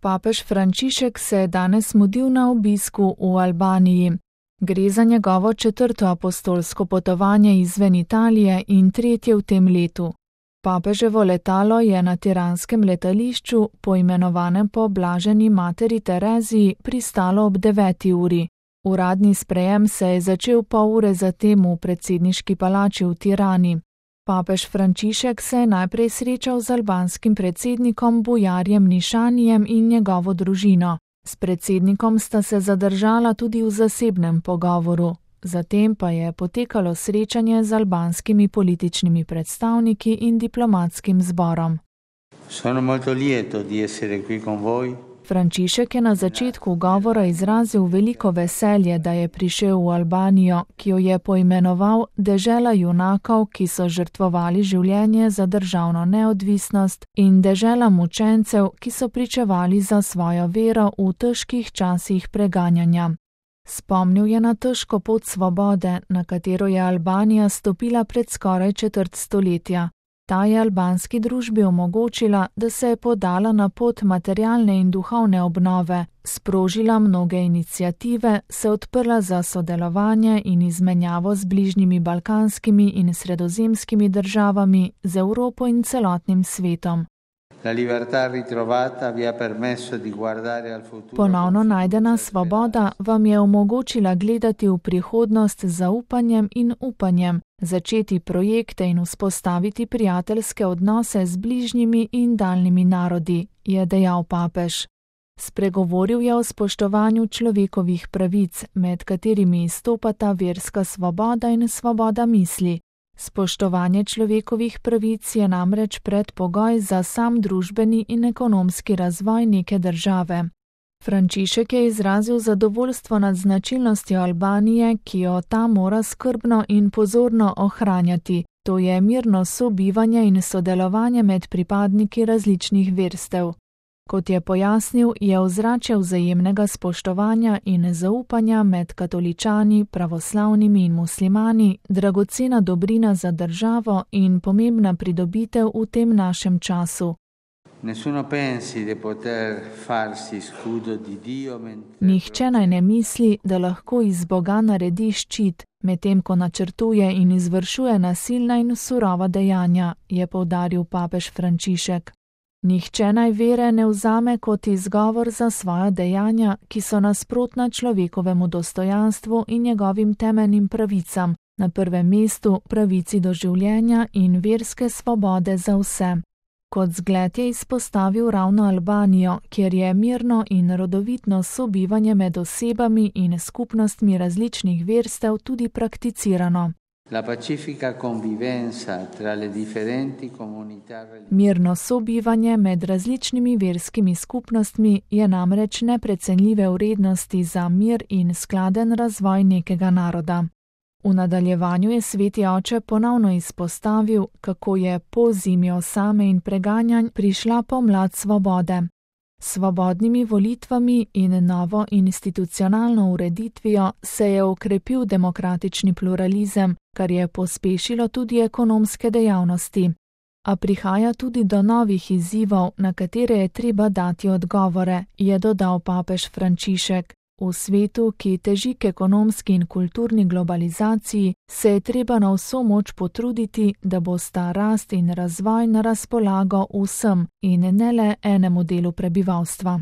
Papež Frančišek se je danes mudil na obisku v Albaniji. Gre za njegovo 4. apostolsko potovanje izven Italije in 3. v tem letu. Papeževo letalo je na tiranskem letališču, poimenovanem po blaženi materi Tereziji, pristalo ob 9. uri. Uradni sprejem se je začel pol ure zatem v predsedniški palači v Tirani. Papež Frančišek se je najprej srečal z albanskim predsednikom Bujarjem Nišanijem in njegovo družino. S predsednikom sta se zadržala tudi v zasebnem pogovoru. Zatem pa je potekalo srečanje z albanskimi političnimi predstavniki in diplomatskim zborom. Sono molto lieto di essere qui con voi. Frančišek je na začetku govora izrazil veliko veselje, da je prišel v Albanijo, ki jo je poimenoval dežela junakov, ki so žrtvovali življenje za državno neodvisnost, in dežela mučencev, ki so pričevali za svojo vero v težkih časih preganjanja. Spomnil je na težko pot svobode, na katero je Albanija stopila pred skoraj četrt stoletja. Ta je albanski družbi omogočila, da se je podala na pot materialne in duhovne obnove, sprožila mnoge iniciative, se odprla za sodelovanje in izmenjavo z bližnjimi balkanskimi in sredozemskimi državami, z Evropo in celotnim svetom. Ponovno najdena svoboda vam je omogočila gledati v prihodnost z zaupanjem in upanjem, začeti projekte in vzpostaviti prijateljske odnose z bližnjimi in daljnimi narodi, je dejal papež. Spregovoril je o spoštovanju človekovih pravic, med katerimi izstopata verska svoboda in svoboda misli. Spoštovanje človekovih pravic je namreč predpogoj za sam družbeni in ekonomski razvoj neke države. Frančišek je izrazil zadovoljstvo nad značilnostjo Albanije, ki jo ta mora skrbno in pozorno ohranjati. To je mirno sobivanje in sodelovanje med pripadniki različnih verstev. Kot je pojasnil, je ozračje vzajemnega spoštovanja in zaupanja med katoličani, pravoslavnimi in muslimani dragocena dobrina za državo in pomembna pridobitev v tem našem času. Nihče naj ne misli, da lahko iz Boga naredi ščit, medtem ko načrtuje in izvršuje nasilna in surova dejanja, je poudaril papež Frančišek. Nihče naj vere ne vzame kot izgovor za svoja dejanja, ki so nasprotna človekovemu dostojanstvu in njegovim temeljnim pravicam, na prvem mestu pravici do življenja in verske svobode za vse. Kot zgled je izpostavil ravno Albanijo, kjer je mirno in rodovitno sobivanje med osebami in skupnostmi različnih verstev tudi prakticirano. Mirno sobivanje med različnimi verskimi skupnostmi je namreč neprecenljive vrednosti za mir in skladen razvoj nekega naroda. V nadaljevanju je sveti oče ponovno izpostavil, kako je po zimi osame in preganjanj prišla pomlad svobode. S svobodnimi volitvami in novo institucionalno ureditvijo se je okrepil demokratični pluralizem, kar je pospešilo tudi ekonomske dejavnosti. A prihaja tudi do novih izzivov, na katere je treba dati odgovore, je dodal papež Frančišek. V svetu, ki teži k ekonomski in kulturni globalizaciji, se je treba na vso moč potruditi, da bosta rast in razvoj na razpolago vsem in ne le enemu delu prebivalstva.